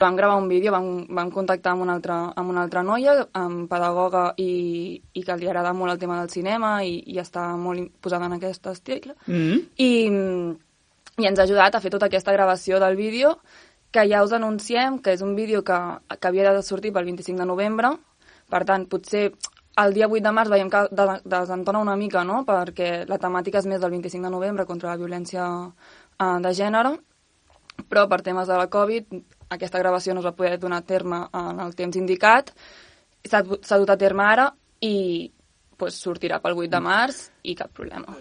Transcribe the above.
Vam gravar un vídeo, vam contactar amb una altra noia, amb pedagoga i que li agrada molt el tema del cinema i està molt posada en aquest estil. I ens ha ajudat a fer tota aquesta gravació del vídeo, que ja us anunciem que és un vídeo que havia de sortir pel 25 de novembre. Per tant, potser el dia 8 de març veiem que desentona una mica, no?, perquè la temàtica és més del 25 de novembre contra la violència de gènere, però per temes de la Covid aquesta gravació no es va poder donar a terme en el temps indicat, s'ha dut a terme ara i sortirà pel 8 de març i cap problema.